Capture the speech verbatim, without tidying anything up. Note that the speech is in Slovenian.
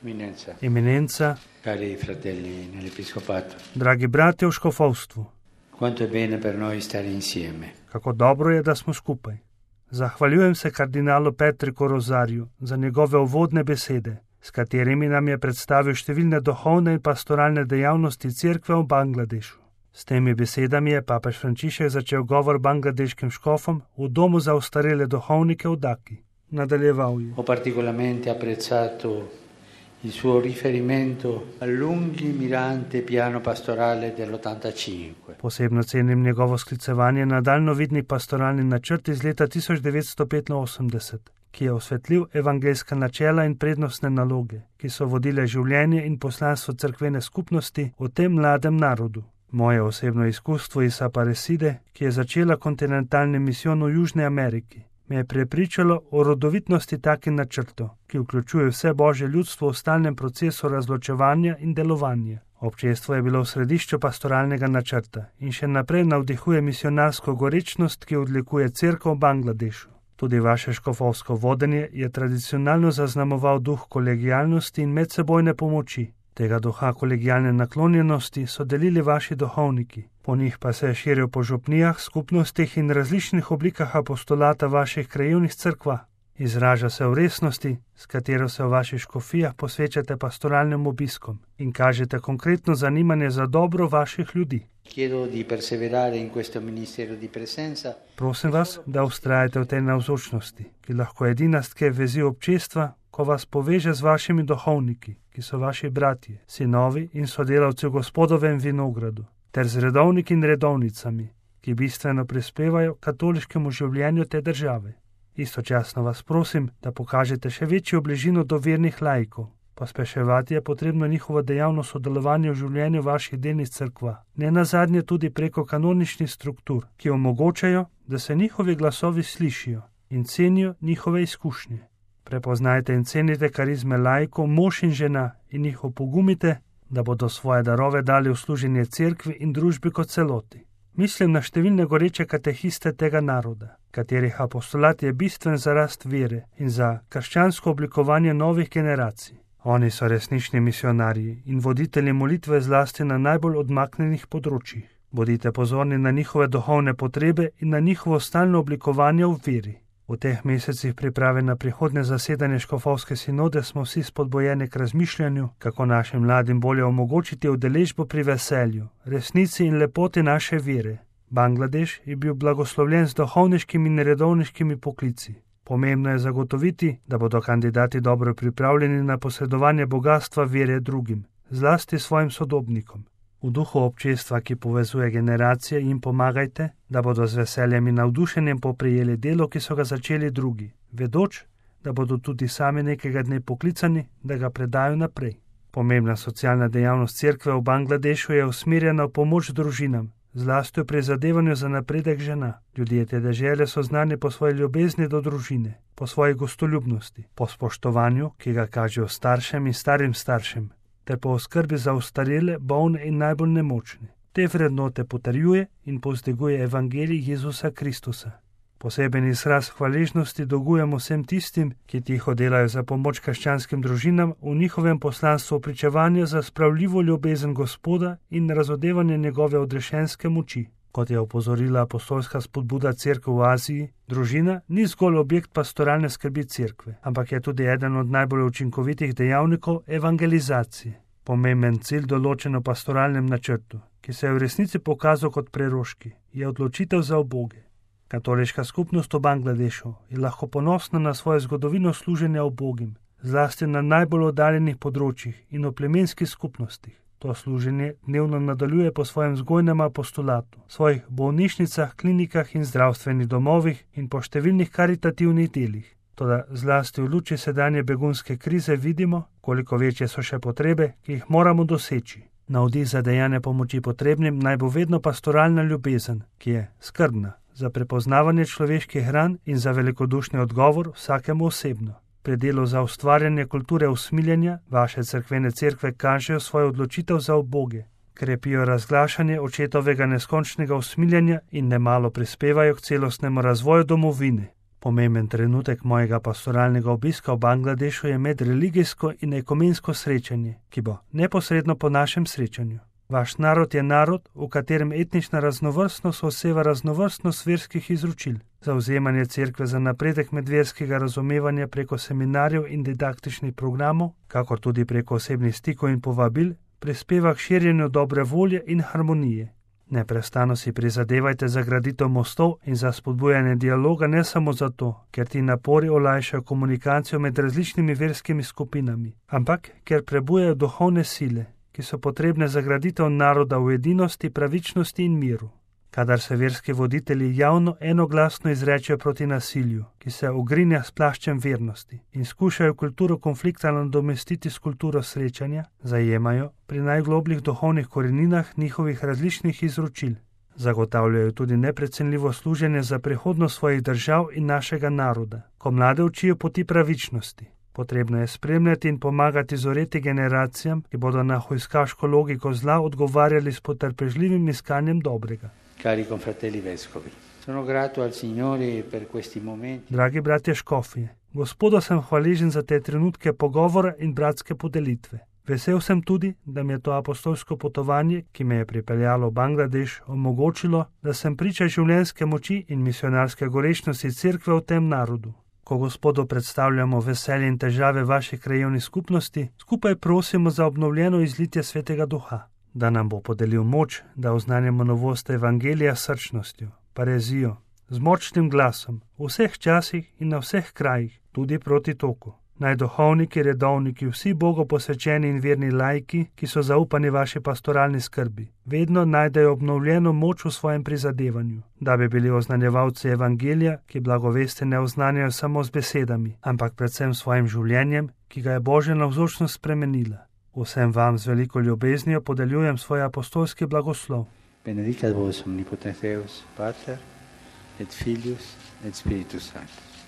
Eminenza, Eminenza, cari fratelli nell'Episcopato, dragi brati v škofovstvu, quanto è bene per noi stare insieme. kako dobro je, da smo skupaj. Zahvaljujem se kardinalu Petriku Rozarju za njegove uvodne besede, s katerimi nam je predstavil številne duhovne in pastoralne dejavnosti Cerkve v Bangladešu. S temi besedami je papež Frančišek začel govor bangladeškim škofom v domu za ostarele duhovnike v Daki. Nadaljeval je. Ho particolarmente apprezzato il suo riferimento al lungimirante piano pastorale dell'ottantacinque. Posebno cenim njegovo sklicevanje na daljnovidni pastoralni načrt iz leta tisoč devetsto petinosemdeset, ki je osvetlil evangeljska načela in prednostne naloge, ki so vodile življenje in poslanstvo cerkvene skupnosti v tem mladem narodu. Moje osebno izkustvo iz Aparecide, ki je začela kontinentalni misijon v Južni Ameriki, me je prepričalo o rodovitnosti takih načrtov, ki vključuje vse božje ljudstvo v stalnem procesu razločevanja in delovanja. Občestvo je bilo v središču pastoralnega načrta in še naprej navdihuje misionarsko gorečnost, ki odlikuje cerkev v Bangladešu. Tudi vaše škofovsko vodenje je tradicionalno zaznamoval duh kolegialnosti in medsebojne pomoči. Tega duha kolegialne naklonjenosti so delili vaši duhovniki, po njih pa se je širil po župnijah, skupnostih in različnih oblikah apostolata vaših krajevnih cerkva. Izraža se v resnosti, s katero se v vaših škofijah posvečate pastoralnim obiskom in kažete konkretno zanimanje za dobro vaših ljudi. Chiedo di perseverare in questo ministero di presenza. Prosim vas, da ustrajate v tej navzočnosti, ki lahko edina stke vezi občestva, ko vas poveže z vašimi duhovniki, ki so vaši bratje, sinovi in sodelavci v Gospodovem vinogradu, ter z redovniki in redovnicami, ki bistveno prispevajo katoliškemu življenju te države. Istočasno vas prosim, da pokažete še večjo bližino do vernih laikov. Pospeševati je potrebno njihovo dejavno sodelovanje v življenju vaših delnic cerkva, ne nazadnje tudi preko kanoničnih struktur, ki omogočajo, da se njihovi glasovi slišijo in cenijo njihove izkušnje. Prepoznajte in cenite karizme laikov, mož in žena in jih opogumite, da bodo svoje darove dali v služenje cerkvi in družbi kot celoti. Mislim na številne goreče katehiste tega naroda, katerih apostolat je bistven za rast vere in za krščansko oblikovanje novih generacij. Oni so resnični misionarji in voditelji molitve zlasti na najbolj odmaknjenih področjih. Bodite pozorni na njihove duhovne potrebe in na njihovo stalno oblikovanje v veri. V teh mesecih priprave na prihodnje zasedanje škofovske sinode smo vsi spodbojeni k razmišljanju, kako našim mladim bolje omogočiti udeležbo pri veselju, resnici in lepoti naše vere. Bangladeš je bil blagoslovljen z duhovniškimi in redovniškimi poklici. Pomembno je zagotoviti, da bodo kandidati dobro pripravljeni na posredovanje bogatstva vere drugim, zlasti svojim sodobnikom. V duhu občestva, ki povezuje generacije, jim pomagajte, da bodo z veseljem in navdušenjem poprijeli delo, ki so ga začeli drugi, vedoč, da bodo tudi sami nekega dne poklicani, da ga predajo naprej. Pomembna socialna dejavnost cerkve v Bangladešu je usmerjena v pomoč družinam, zlasti v prizadevanju za napredek žena. Ljudje te dežele so znani po svoji ljubezni do družine, po svoji gostoljubnosti, po spoštovanju, ki ga kažejo staršem in starim staršem, ter po oskrbi za ostarele, bolne in najbolj nemočne. Te vrednote potrjuje in povzdiguje evangelij Jezusa Kristusa. Poseben izraz hvaležnosti dolgujemo vsem tistim, ki tiho delajo za pomoč krščanskim družinam v njihovem poslanstvu pričevanja za spravljivo ljubezen Gospoda in razodevanje njegove odrešenske moči. Kot je opozorila apostolska spodbuda cerkve v Aziji, družina ni zgolj objekt pastoralne skrbi cerkve, ampak je tudi eden od najbolj učinkovitih dejavnikov evangelizacije. Pomemben cilj določen v pastoralnem načrtu, ki se je v resnici pokazal kot preroški, je odločitev za uboge. Katoliška skupnost v Bangladešu je lahko ponosna na svojo zgodovino služenja ubogim, zlasti na najbolj oddaljenih področjih in v plemenskih skupnostih. To služenje dnevno nadaljuje po svojem vzgojnem apostolatu, svojih bolnišnicah, klinikah in zdravstvenih domovih in po številnih karitativnih delih. Toda zlasti v luči sedanje begunske krize vidimo, koliko večje so še potrebe, ki jih moramo doseči. Navdih za dejanje pomoči potrebnim naj bo vedno pastoralna ljubezen, ki je skrbna za prepoznavanje človeških ran in za velikodušni odgovor vsakemu osebno. Pri delu za ustvarjanje kulture usmiljenja vaše cerkvene cerkve kažejo svojo odločitev za uboge, krepijo razglašanje očetovega neskončnega usmiljenja in nemalo prispevajo k celostnemu razvoju domovine. Pomemben trenutek mojega pastoralnega obiska v Bangladešu je medreligijsko in ekumensko srečanje, ki bo neposredno po našem srečanju. Vaš narod je narod, v katerem etnična raznovrstnost oseva raznovrstnost verskih izročil. Zavzemanje cerkve za napredek medverskega razumevanja preko seminarjev in didaktičnih programov, kakor tudi preko osebnih stikov in povabil, prispeva k širjenju dobre volje in harmonije. Neprestano si prizadevajte za graditev mostov in za spodbujanje dialoga ne samo zato, ker ti napori olajšajo komunikacijo med različnimi verskimi skupinami, ampak ker prebujajo duhovne sile, ki so potrebne za graditev naroda v edinosti, pravičnosti in miru. Kadar se verski voditelji javno enoglasno izrečejo proti nasilju, ki se ogrinja s plaščem vernosti in skušajo kulturo konflikta nadomestiti s kulturo srečanja, zajemajo pri najglobljih duhovnih koreninah njihovih različnih izročil. Zagotavljajo tudi neprecenljivo služenje za prihodnost svojih držav in našega naroda, ko mlade učijo poti pravičnosti. Potrebno je spremljati in pomagati zoreti generacijam, ki bodo na hujskaško logiko zla odgovarjali s potrpežljivim iskanjem dobrega. Cari confratelli vescovi, sono grato al Signore per questi momenti. Dragi bratje škofje, Gospodu sem hvaležen za te trenutke pogovora in bratske podelitve. Vesel sem tudi, da mi je to apostolsko potovanje, ki me je pripeljalo v Bangladeš, omogočilo, da sem priča življenjske moči in misionarske gorečnosti cerkve v tem narodu. Ko Gospodu predstavljamo veselje in težave vaših krajevnih skupnosti, skupaj prosimo za obnovljeno izlitje Svetega Duha, da nam bo podelil moč, da oznanjamo novost evangelija s srčnostjo, parezijo, z močnim glasom, v vseh časih in na vseh krajih, tudi proti toku. Naj duhovniki, redovniki, vsi Bogu posvečeni in verni laiki, ki so zaupani vaši pastoralni skrbi, vedno najdejo obnovljeno moč v svojem prizadevanju, da bi bili oznanjevalci evangelija, ki blagovesti ne oznanjajo samo z besedami, ampak predvsem svojim življenjem, ki ga je Božja navzočnost spremenila. Vsem vam z veliko ljubeznijo podeljujem svoj apostolski blagoslov. Benedicat vos omnipotens Deus, Pater, et Filius, et Spiritus Sanctus.